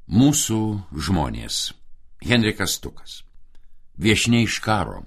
Mūsų žmonės. Henrikas Stukas. Viešniai iš karo.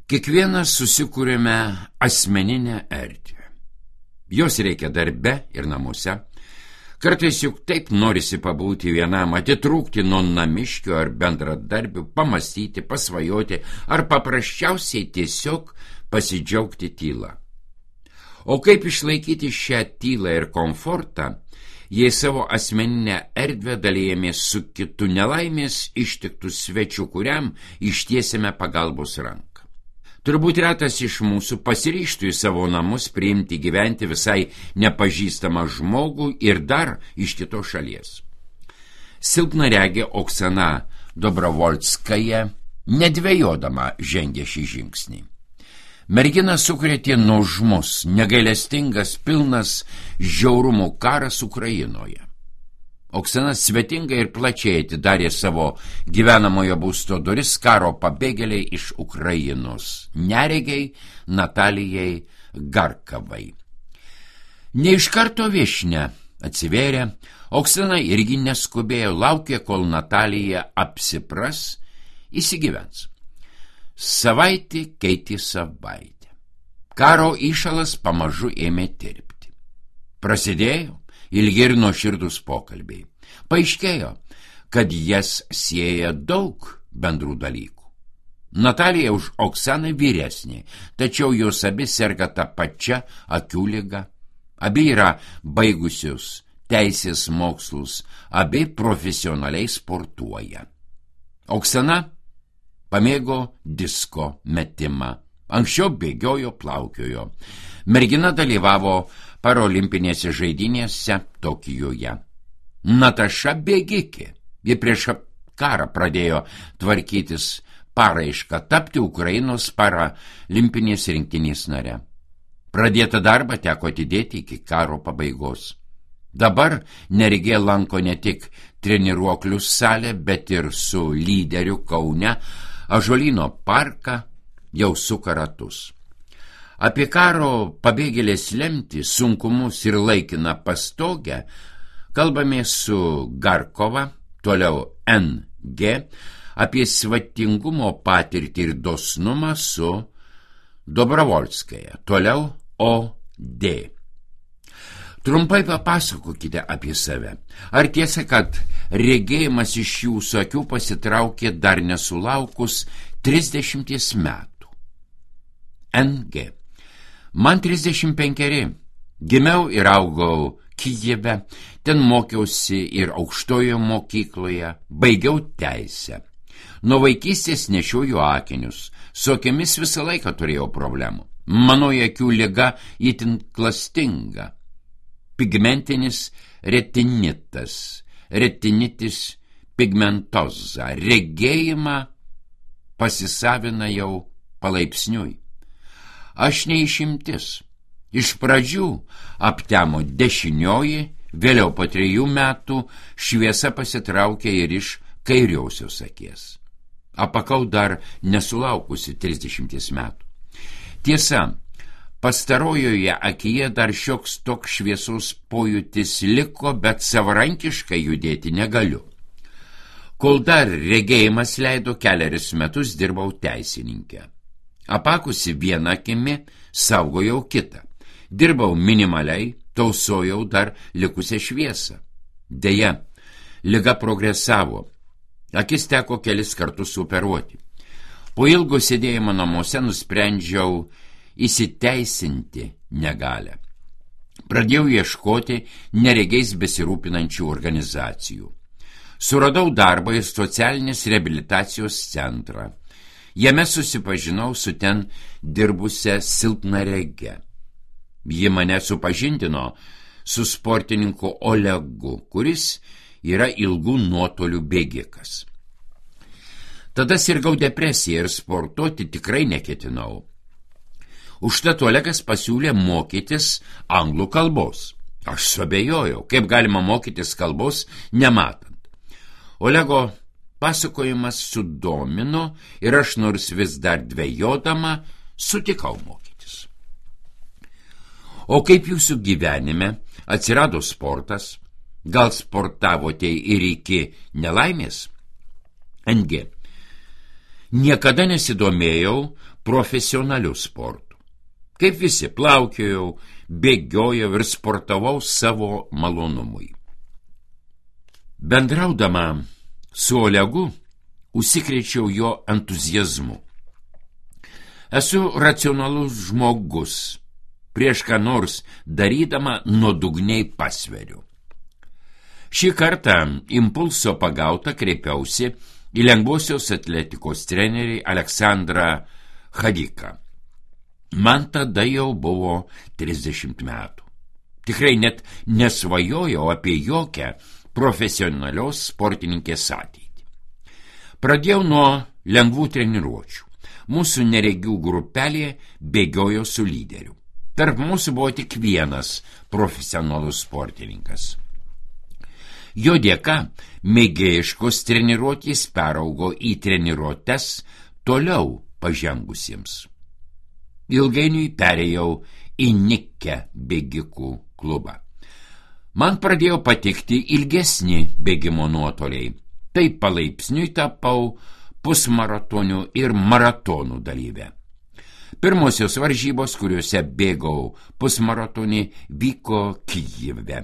Kiekvienas susikūrėme asmeninę erdvę. Jos reikia darbe ir namuose. Kartais juk taip norisi pabūti vienam, atitrūkti nuo namiškių ar bendradarbių, pamastyti, pasvajoti ar paprasčiausiai tiesiog pasidžiaugti tylą. O kaip išlaikyti šią tylą ir komfortą, jei savo asmeninę erdvę dalijamės su kitu nelaimės ištiktų svečiu, kuriam ištiesime pagalbos ranką? Turbūt retas iš mūsų pasiryžtų į savo namus priimti gyventi visai nepažįstamą žmogų ir dar iš kitos šalies. Silpnaregė Oksana Dobrovolskaja nedvejodama žengė šį žingsnį. Merginą sukrėtė nuožmus, negailestingas, pilnas žiaurumų karas Ukrainoje. Oksana svetingai ir plačiai atidarė savo gyvenamojo būsto duris karo pabėgėliai iš Ukrainos, neregiai Natalijai Garkavai. Ne iš karto viešnia atsivėrė, Oksana irgi neskubėjo, laukė, kol Natalija apsipras, įsigyvens. Savaitė keitė savaitę. Karo įšalas pamažu ėmė tirpti. Prasidėjo ilgi ir nuoširdūs pokalbiai. Paaiškėjo, kad jas sieja daug bendrų dalykų. Natalija už Oksaną vyresnė, tačiau jos abi serga tą pačią akių ligą. Abi yra baigusios teisės mokslus, abi profesionaliai sportuoja. Oksana pamėgo disko metimą. Anksčiau bėgiojo, plaukiojo. Mergina dalyvavo parolimpinėse žaidynėse Tokijoje. Nataša bėgikė. Ji prieš karą pradėjo tvarkytis paraišką tapti Ukrainos paralimpinės rinktinės nare. Pradėtą darbą teko atidėti iki karo pabaigos. Dabar neregė lanko ne tik treniruoklių salę, bet ir su lyderiu Kaune Ąžuolyno parką jau suka ratus. Apie karo pabėgėlės lemtį, sunkumus ir laikiną pastogę kalbamės su Garkova, toliau NG, apie svetingumo patirtį ir dosnumą su Dobrovolskaja, toliau OD. Trumpai papasakokite apie save. Ar tiesa, kad regėjimas iš jūsų akių pasitraukė dar nesulaukus 30 metų? NG. Man 35. Gimiau ir augau Kijeve, ten mokiausi ir aukštojo mokykloje, baigiau teisę. Nuo vaikystės nešioju akinius, su akimis visą laiką turėjau problemų. Mano akių liga itin klastinga. Pigmentinis retinitas, retinitis pigmentoza. Regėjimą pasisavina jau palaipsniui. Aš neišimtis. Iš pradžių aptemo dešinioji, vėliau po 3 metų šviesa pasitraukė ir iš kairiosios akies. Apakau dar nesulaukusi 30 metų. Tiesa, pastarojoje akyje dar šioks toks šviesos pojūtis liko, bet savarankiškai judėti negaliu. Kol dar regėjimas leido, 4 metus dirbau teisininkę. Apakusi vieną akimi, saugojau kitą. Dirbau minimaliai, tausojau dar likusią šviesą. Deja, liga progresavo. Akis teko kelis kartus operuoti. Po ilgo sėdėjimo namuose nusprendžiau įsiteisinti negalę. Pradėjau ieškoti neregiais besirūpinančių organizacijų. Suradau darbą į socialinės reabilitacijos centrą. Jame susipažinau su ten dirbusią silpnaregę. Ji mane supažindino su sportininku Olegu, kuris yra ilgų nuotolių bėgikas. Tada sirgau depresiją ir sportuoti tikrai neketinau. Užtat Olegas pasiūlė mokytis anglų kalbos. Aš suabejojau, kaip galima mokytis kalbos nematant. Olego pasakojimas sudomino ir aš, nors vis dar dvejodama, sutikau mokytis. O kaip jūsų gyvenime atsirado sportas? Gal sportavote ir iki nelaimės? NG. Niekada nesidomėjau profesionaliu sportu. Kaip visi plaukiojau, bėgiojau ir sportavau savo malonumui. Bendraudama su Olegu, užsikrėčiau jo entuziazmu. Esu racionalus žmogus, prieš ką nors darydama nuodugniai pasveriu. Šį kartą impulso pagautą kreipiausi į lengvosios atletikos trenerį Aleksandrą Chadiką. Man tada jau buvo 30 metų. Tikrai net nesvajojau apie jokią profesionalios sportininkės ateitį. Pradėjau nuo lengvų treniruočių. Mūsų neregių grupelė bėgiojo su lyderiu. Tarp mūsų buvo tik vienas profesionalus sportininkas. Jo dėka mėgėjiškos treniruotės peraugo į treniruotes toliau pažengusiems. Ilgainiui perėjau į nikę bėgikų klubą. Man pradėjo patikti ilgesni bėgimo nuotoliai. Taip palaipsniui tapau pusmaratonių ir maratonų dalyvė. Pirmosios varžybos, kuriuose bėgau pusmaratonį, vyko Kijeve.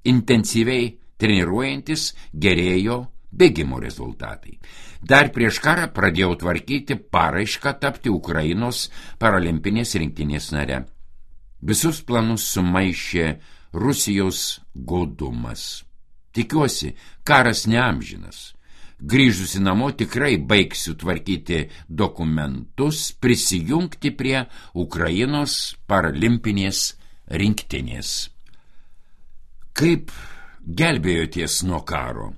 Intensyviai treniruojantis gerėjo bėgimo rezultatai. Dar prieš karą pradėjau tvarkyti paraišką tapti Ukrainos paralimpinės rinktinės nare. Visus planus sumaišė Rusijos godumas. Tikiuosi, karas neamžinas. Grįžusi namo tikrai baigsiu tvarkyti dokumentus, prisijungti prie Ukrainos paralimpinės rinktinės. Kaip gelbėjoties nuo karo?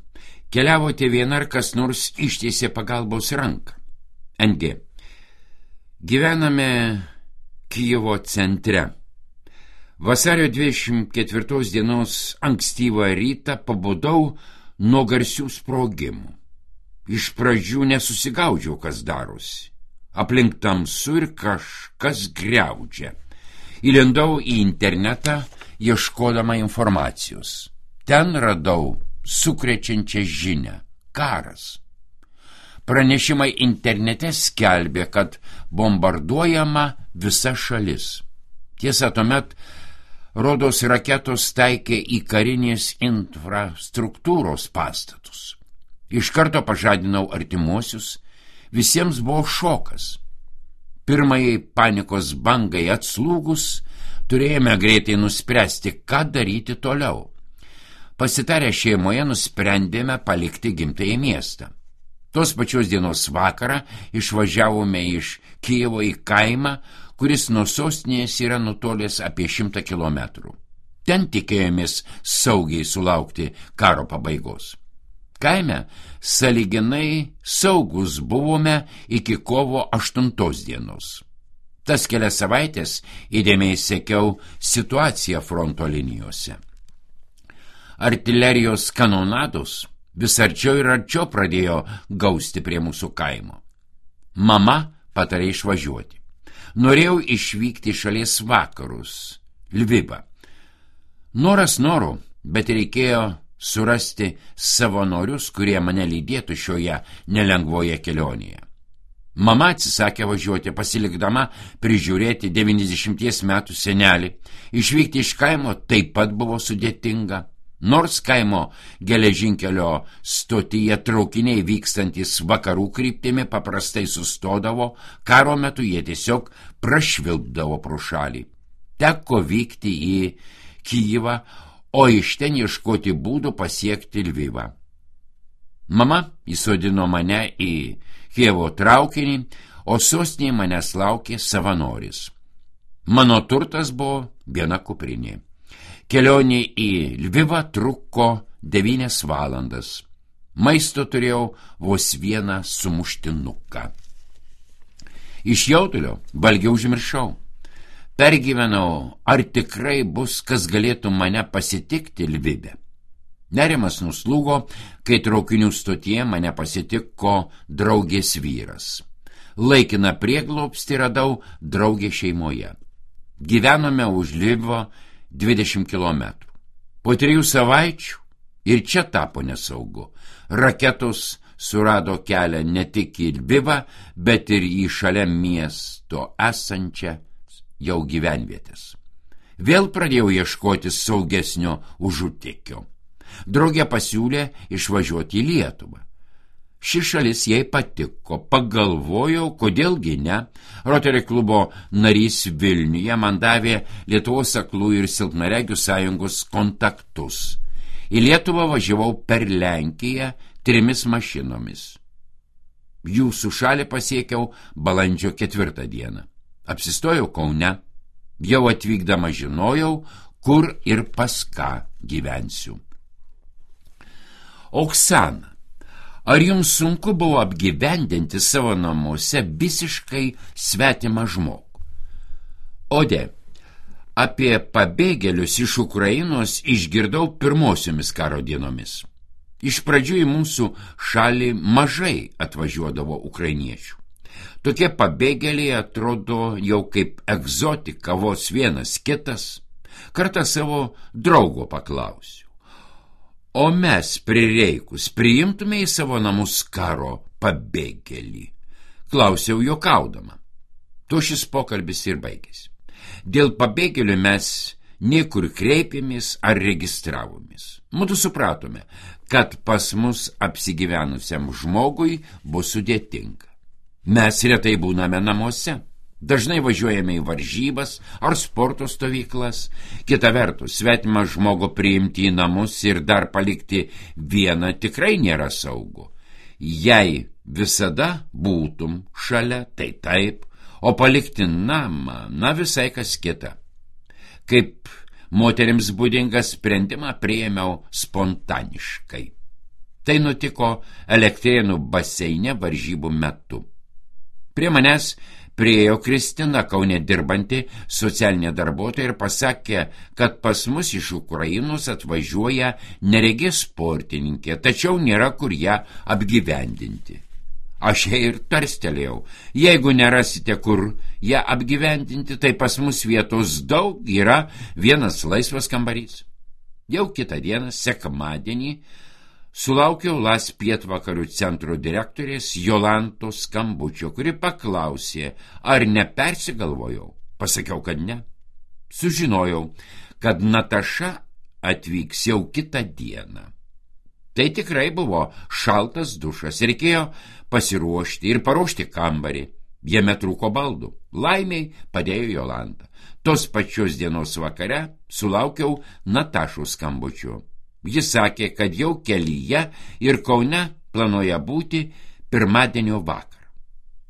Keliavote viena ar kas nors ištiesė pagalbos ranką? NG. Gyvename Kijevo centre. Vasario 24 dienos ankstyvą rytą pabudau nuo garsių sprogimų. Iš pradžių nesusigaudžiau, kas darosi. Aplink tamsu ir kažkas griaudžia. Įlindau į internetą, ieškodama informacijos. Ten radau sukrečiančią žinią – karas. Pranešimai internete skelbė, kad bombarduojama visa šalis. Tiesa, tuomet rodos raketos taikė į karinės infrastruktūros pastatus. Iš karto pažadinau artimuosius, visiems buvo šokas. Pirmajai panikos bangai atslūgus, turėjome greitai nuspręsti, ką daryti toliau. Pasitarę šeimoje nusprendėme palikti gimtąjį miestą. Tos pačios dienos vakarą išvažiavome iš Kijevo į kaimą, kuris nuo sostinės yra nutolęs apie 100 kilometrų. Ten tikėjomės saugiai sulaukti karo pabaigos. Kaime sąlyginai saugus buvome iki kovo 8 dienos. Tas kelias savaitės įdėmiai sekiau situaciją fronto linijose. Artilerijos kanonados vis arčiau ir arčiau pradėjo gausti prie mūsų kaimo. Mama patarė išvažiuoti. Norėjau išvykti šalies vakarus, Lvivą. Noras noru, bet reikėjo surasti savanorius, kurie mane lydėtų šioje nelengvoje kelionėje. Mama atsisakė važiuoti, pasilikdama prižiūrėti 90 metų senelį. Išvykti iš kaimo taip pat buvo sudėtinga. Nors kaimo geležinkelio stotyje traukiniai vykstantis vakarų kryptimi paprastai sustodavo, karo metu jie tiesiog prašvilpdavo pro šalį. Teko vykti į Kijevą, o iš ten ieškoti būdų pasiekti Lvivą. Mama įsodino mane į Kijevo traukinį, o sostinėje manęs laukė savanoris. Mano turtas buvo viena kuprinė. Kelionė į Lvivą truko 9 valandas. Maisto turėjau vos vieną sumuštinuką. Iš jaudulio valgiau užmiršau. Pergyvenau, ar tikrai bus, kas galėtų mane pasitikti Lvive. Nerimas nuslūgo, kai traukinių stotyje mane pasitiko draugės vyras. Laikiną prieglobstį radau draugė šeimoje. Gyvenome už Lvivo 20 kilometrų. Po 3 savaičių Ir čia tapo nesaugu. Raketos surado kelią ne tik į Lvivą, bet ir į šalia miesto esančią jau gyvenvietės. Vėl pradėjau ieškoti saugesnio užutekio. Draugė pasiūlė išvažiuoti į Lietuvą. Ši šalis jai patiko, pagalvojau, kodėlgi ne. Rotary klubo narys Vilniuje man davė Lietuvos aklųjų ir silpnaregių sąjungos kontaktus. Į Lietuvą važiavau per Lenkiją 3 mašinomis. Jūsų šalį pasiekiau balandžio 4 dieną. Apsistojau Kaune. Jau atvykdama žinojau, kur ir pas ką gyvensiu. Oksana, ar jums sunku buvo apgyvendinti savo namuose visiškai svetimą žmogų? Ode, apie pabėgėlius iš Ukrainos išgirdau pirmosiomis karo dienomis. Iš pradžių į mūsų šalį mažai atvažiuodavo ukrainiečių. Tokie pabėgėliai atrodo jau kaip egzotika, vos vienas kitas. Kartą savo draugo paklausiau. O mes prireikus priimtume į savo namus karo pabėgėlį? Klausiau juokaudama. Tuo šis pokalbis ir baigėsi. Dėl pabėgėlių mes niekur kreipėmės ar registravomės. Mudu supratome, kad pas mus apsigyvenusiam žmogui bus sudėtinga. Mes retai būname namuose, dažnai važiuojame į varžybas ar sporto stovyklas. Kita vertus, svetimą žmogų priimti į namus ir dar palikti vieną tikrai nėra saugu. Jei visada būtum šalia, tai taip, o palikti namą, visai kas kita. Kaip moterims būdingą sprendimą priėmiau spontaniškai. Tai nutiko Elektrėnų baseine varžybų metu. Prie manęs priėjo Kristina, Kaune dirbanti socialinė darbuotoja, ir pasakė, kad pas mus iš Ukrainos atvažiuoja neregė sportininkė, tačiau nėra kur ją apgyvendinti. Aš jai ir tarstelėjau, jeigu nerasite kur ją apgyvendinti, tai pas mus vietos daug, yra vienas laisvas kambarys. Jau kitą dieną, sekmadienį, sulaukiau LAS pietvakarių centro direktorės Jolantos skambučio, kuri paklausė, ar nepersigalvojau. Pasakiau, kad ne. Sužinojau, kad Nataša atvyks jau kitą dieną. Tai tikrai buvo šaltas dušas, reikėjo pasiruošti ir paruošti kambarį. Jame trūko baldų. Laimiai padėjo Jolanta. Tos pačios dienos vakare sulaukiau Natašos skambučio. Jis sakė, kad jau kelyje ir Kaune planuoja būti pirmadienio vakarą.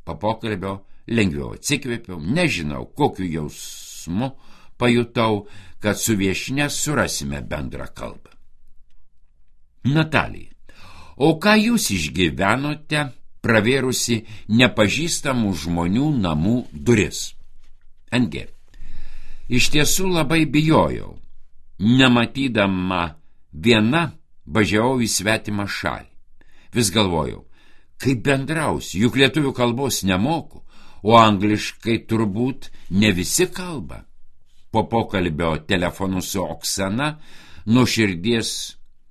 Po pokalbio lengviau atsikvėpiau, nežinau, kokiu jausmu pajutau, kad su viešnia surasime bendrą kalbą. Natalija, o ką jūs išgyvenote, pravėrusi nepažįstamų žmonių namų duris? NG. Iš tiesų labai bijojau. Nematydama viena važiavau į svetimą šalį. Vis galvojau, kaip bendrausiu, juk lietuvių kalbos nemoku, o angliškai turbūt ne visi kalba. Po pokalbio telefonu su Oksana nuo širdies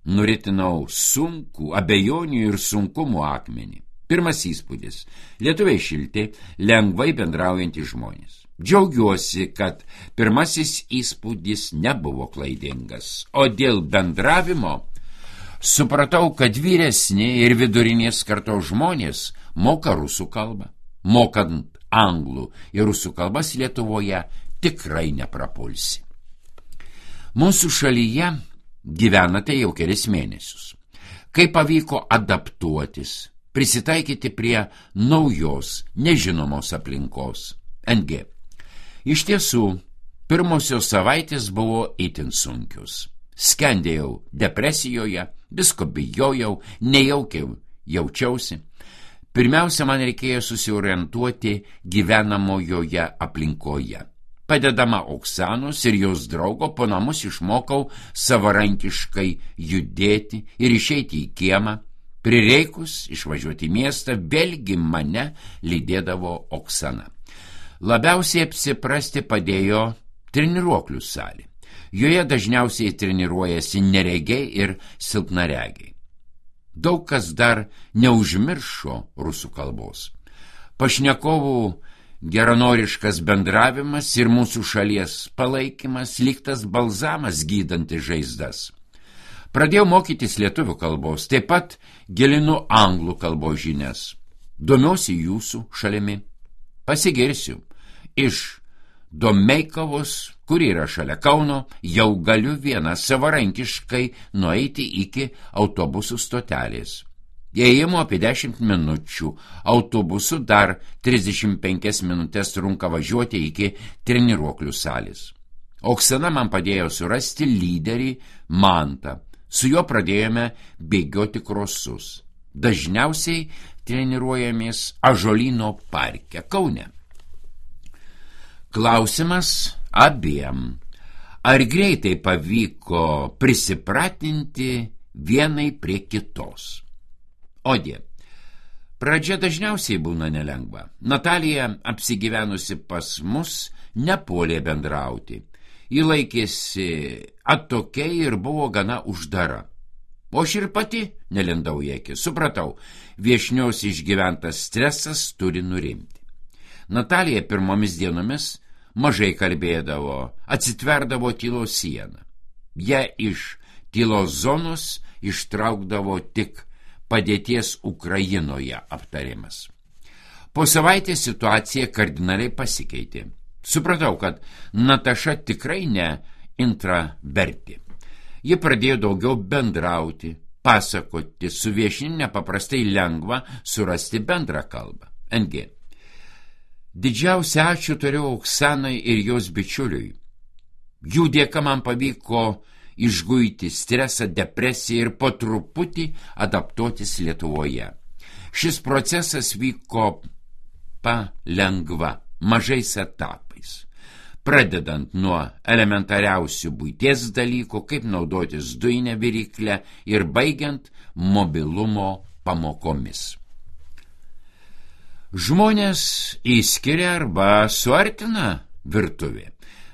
nuritinau sunkų, abejonių ir sunkumų akmenį. Pirmas įspūdis – lietuviai šilti, lengvai bendraujantys žmonės. Džiaugiuosi, kad pirmasis įspūdis nebuvo klaidingas, o dėl bendravimo supratau, kad vyresni ir vidurinės kartos žmonės moka rusų kalbą. Mokant anglų ir rusų kalbas Lietuvoje tikrai neprapulsi. Mūsų šalyje gyvenate jau kelis mėnesius. Kaip pavyko adaptuotis, prisitaikyti prie naujos, nežinomos aplinkos? NG. Iš tiesų, pirmosios savaitės buvo itin sunkios. Skendėjau depresijoje, visko bijojau, nejaukiai jaučiausi. Pirmiausia, man reikėjo susiorientuoti gyvenamojoje aplinkoje. Padedama Oksanos ir jos draugo, po namus išmokau savarankiškai judėti ir išeiti į kiemą. Prireikus išvažiuoti į miestą, vėlgi mane lydėdavo Oksana. Labiausiai apsiprasti padėjo treniruoklių salė. Joje dažniausiai treniruojasi neregiai ir silpnaregiai. Daug kas dar neužmiršo rusų kalbos. Pašnekovų geranoriškas bendravimas ir mūsų šalies palaikymas lyg tas balzamas gydantis žaizdas. Pradėjau mokytis lietuvių kalbos, taip pat gilinu anglų kalbos žinias. Domiuosi jūsų šalimi. Pasigirsiu. Iš Domeikavos, kur yra šalia Kauno, jau galiu vieną savarankiškai nueiti iki autobusų stotelės. Ėjimo apie 10 minučių, autobusu dar 35 minutės trunka važiuoti iki treniruoklių salės. Oksana man padėjo surasti lyderį Mantą. Su juo pradėjome bėgioti krosus. Dažniausiai treniruojamės Ąžuolyno parke Kaune. Klausimas abiem. Ar greitai pavyko prisipratinti vienai prie kitos? Odė. Pradžia dažniausiai būna nelengva. Natalija, apsigyvenusi pas mus, nepuolė bendrauti. Ji laikėsi atokiai ir buvo gana uždara. O aš ir pati nelindau į akį. Supratau, viešnios išgyventas stresas turi nurimti. Natalija pirmomis dienomis mažai kalbėdavo, atsitverdavo tylos sieną. Ją iš tylos zonos ištraukdavo tik padėties Ukrainoje aptarimas. Po savaitės situacija kardinaliai pasikeitė. Supratau, kad Nataša tikrai ne intravertė. Ji pradėjo daugiau bendrauti, pasakoti, su viešnia nepaprastai lengva surasti bendrą kalbą. NG. Didžiausią ačiū turiu Oksanai ir jos bičiuliui. Jų dėka man pavyko išguiti stresą, depresiją ir po truputį adaptuotis Lietuvoje. Šis procesas vyko palengva, mažais etapais. Pradedant nuo elementariausių buities dalykų, kaip naudotis dujinę viryklę ir baigiant mobilumo pamokomis. Žmonės įskiria arba suartina virtuvė.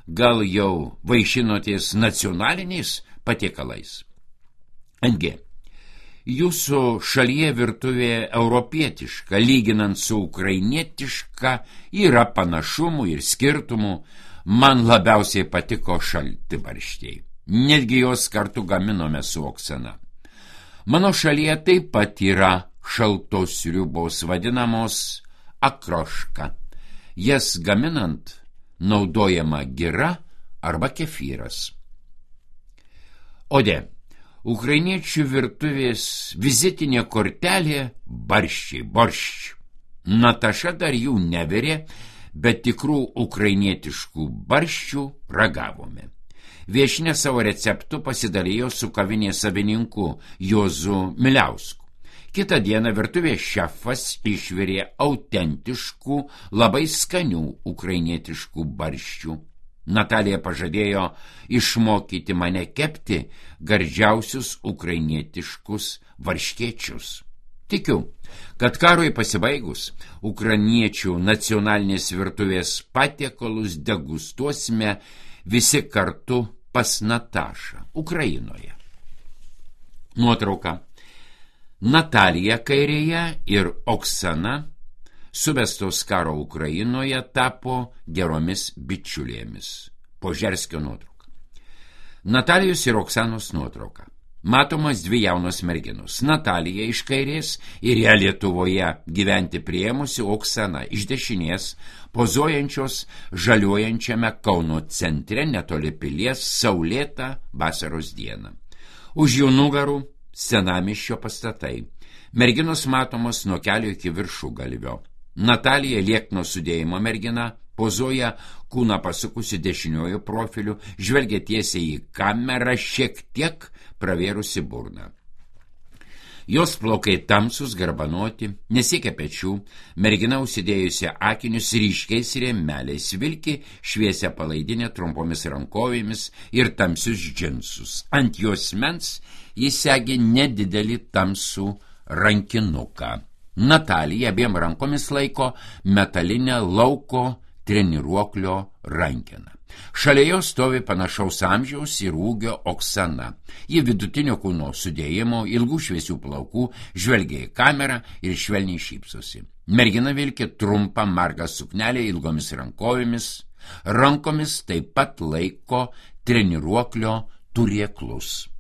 Gal jau vaišinotės nacionaliniais patiekalais? NG. Jūsų šalyje virtuvė europietiška, lyginant su ukrainietiška, yra panašumų ir skirtumų. Man labiausiai patiko šaltibarščiai. Netgi jos kartu gaminome su Oksana. Mano šalyje taip pat yra šaltos sriubos vadinamos akroška. Jas gaminant naudojama gira arba kefyras. Odė. Ukrainiečių virtuvės vizitinė kortelė boršč. Nataša dar jų nevirė, bet tikrų ukrainietiškų barščių ragavome. Viešnia savo receptu pasidalijo su kavinės savininku Juozu Miliausku. Kitą dieną virtuvės šefas išvirė autentiškų, labai skanių ukrainietiškų barščių. Natalija pažadėjo išmokyti mane kepti gardžiausius ukrainietiškus varškėčius. Tikiu, kad karui pasibaigus ukrainiečių nacionalinės virtuvės patiekalus degustuosime visi kartu pas Natašą, Ukrainoje. Nuotrauka. Natalija kairėje ir Oksana suvestos karo Ukrainoje tapo geromis bičiulėmis. Požerskio nuotrauka. Natalijos ir Oksanos nuotrauka. Matomas dvi jaunos merginos. Natalija iš kairės ir ją Lietuvoje gyventi priėmusi, Oksana iš dešinės, pozuojančios žaliuojančiame Kauno centre netoli pilies saulėtą vasaros dieną. Už jų nugarų senamiesčio pastatai. Merginos matomos nuo kelio iki viršugalvio. Natalija liekno sudėjimo mergina, pozuoja kūną pasukusi dešiniuoju profiliu, žvelgia tiesiai į kamerą, šiek tiek pravėrusi burną. Jos plaukai tamsus, garbanoti, nesiekia pečių, mergina užsidėjusi akinius ryškiais rėmeliais, vilki šviesią palaidinę trumpomis rankovėmis ir tamsius džinsus. Ant jos mens jis segi nedidelį tamsų rankinuką. Natalija abiem rankomis laiko metalinę lauko treniruoklio rankeną. Šalia jo stovi panašaus amžiaus ir ūgio Oksana. Ji vidutinio kūno sudėjimo, ilgų šviesių plaukų, žvelgia į kamerą ir švelniai šypsosi. Mergina vilki trumpą margą suknelę ilgomis rankovėmis, rankomis taip pat laiko treniruoklio turėklus.